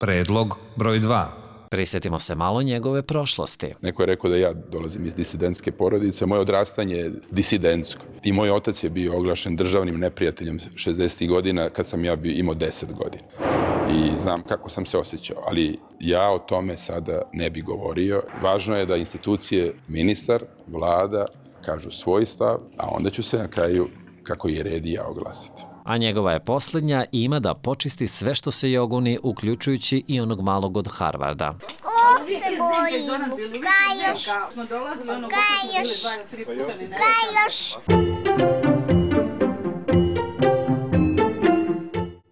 Predlog broj 2. Prisjetimo se malo njegove prošlosti. Neko je rekao da ja dolazim iz disidentske porodice, moje odrastanje je disidentsko. I moj otac je bio oglašen državnim neprijateljem 60. godina kad sam ja imao 10 godina. I znam kako sam se osjećao, ali ja o tome sada ne bi govorio. Važno je da institucije, ministar, vlada, kažu svoj stav, a onda ću se na kraju, kako je red, i ja oglasiti. A njegova je posljednja i ima da počisti sve što se joguni, uključujući i onog malog od Harvarda. Se bojim, Kajoš.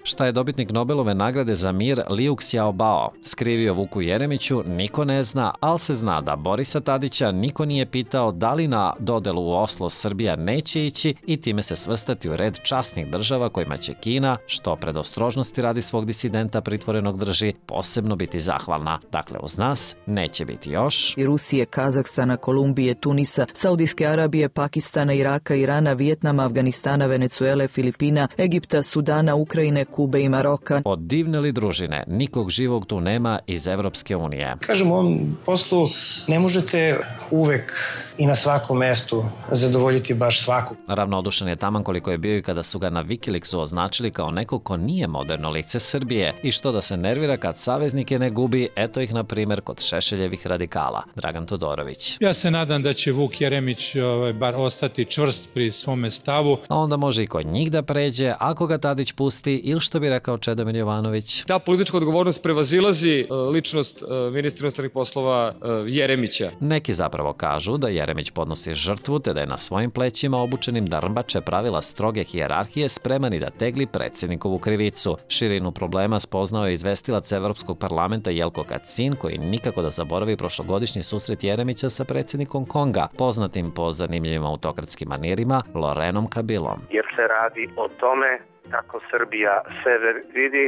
Šta je dobitnik Nobelove nagrade za mir Liu Xiaobao skrivio Vuku Jeremiću, niko ne zna, ali se zna da Borisa Tadića niko nije pitao da li na dodelu u Oslo Srbija neće ići i time se svrstati u red časnih država kojima će Kina, što predostrožnosti radi svog disidenta pritvorenog drži, posebno biti zahvalna. Dakle, uz nas neće biti još i Rusije, Kazahstana, Kolumbije, Tunisa, Saudijske Arabije, Pakistana, Iraka, Irana, Vijetnama, Afganistana, Venecuele, Filipina, Egipta, Sudana, Ukrajine, Kube i Maroka. Od divne li družine, nikog živog tu nema iz Evropske unije. Kažem, u ovom poslu ne možete uvek i na svakom mestu zadovoljiti baš svakog. Ravnodušan je taman koliko je bio i kada su ga na Wikileaksu označili kao neko ko nije moderno lice Srbije i što da se nervira kad saveznike ne gubi, eto ih na primjer kod Šešeljevih radikala. Dragan Todorović. Ja se nadam da će Vuk Jeremić bar ostati čvrst pri svome stavu. A onda može i kod njih da pređe ako ga Tadić pusti ili što bi rekao Čedomir Jovanović. Ta politička odgovornost prevazilazi ličnost ministra inostranih poslova Jeremića. Neki zapravo kažu da Jeremić podnosi žrtvu te da je na svojim plećima obučenim da rmbače pravila stroge hijerarhije spreman i da tegli predsjednikovu krivicu. Širinu problema spoznao je izvestilac Evropskog parlamenta Jelko Kacin, koji nikako da zaboravi prošlogodišnji susret Jeremića sa predsjednikom Konga, poznatim po zanimljivim autokratskim manirima Lorenom Kabilom. Jer se radi o tome kako Srbija sebe vidi,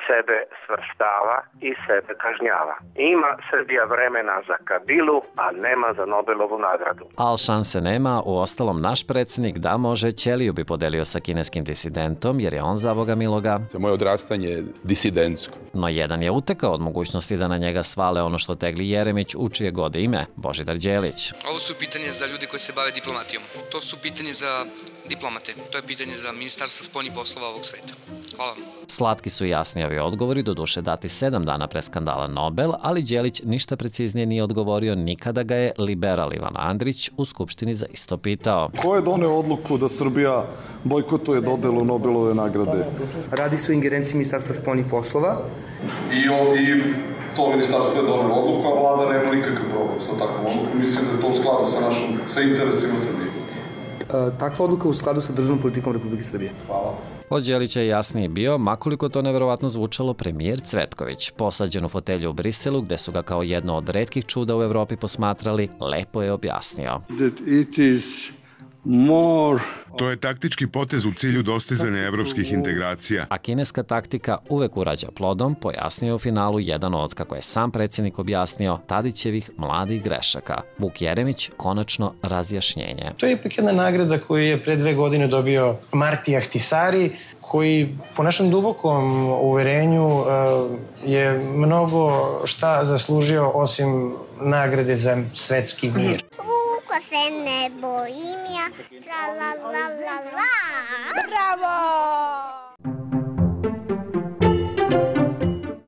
sebe svrstava i sebe kažnjava. Ima Srbija vremena za Kabilu, a nema za Nobelovu nagradu. Al šanse nema, uostalom naš predsjednik da može, ćeliju bi podelio sa kineskim disidentom, jer je on za Boga miloga. Moje odrastanje je disidentsko. No jedan je utekao od mogućnosti da na njega svale ono što tegli Jeremić, u čije god ime, Božidar Đelić. Ovo su pitanje za ljudi koji se bave diplomatijom. To su pitanje za diplomate. To je pitanje za ministarstvo spoljnih poslova ovog sveta. Hvala vam. Slatki su jasni ovi odgovori, doduše dati 7 dana pre skandala Nobel, ali Đelić ništa preciznije nije odgovorio nikada ga je liberal Ivan Andrić u Skupštini za isto pitao. Ko je doneo odluku da Srbija bojkotuje dodelu Nobelove nagrade? Radi se o ingerenciji ministarstva spoljnih poslova. I to ministarstvo je donelo odluku, a vlada nema nikakav problem sa takvom odlukom. Mislim da je to u skladu sa interesima Srbije. Takva odluka u skladu sa državnom politikom Republike Srbije. Hvala. Od Đelića je jasnije bio, makoliko to neverovatno zvučalo, premijer Cvetković. Posađen u fotelju u Briselu, gde su ga kao jedno od retkih čuda u Evropi posmatrali, lepo je objasnio. To je taktički potez u cilju dostizanja evropskih integracija. A kineska taktika uvek urađa plodom, pojasnio je u finalu jedan od, kako je sam predsjednik objasnio, Tadićevih mladih grešaka. Vuk Jeremić, konačno razjašnjenje. To je ipak jedna nagrada koju je pre 2 godine dobio Marti Ahtisari, koji po našem dubokom uverenju je mnogo šta zaslužio osim nagrade za svetski mir. Ko se ne bojim ja, tra la la la la. Bravo!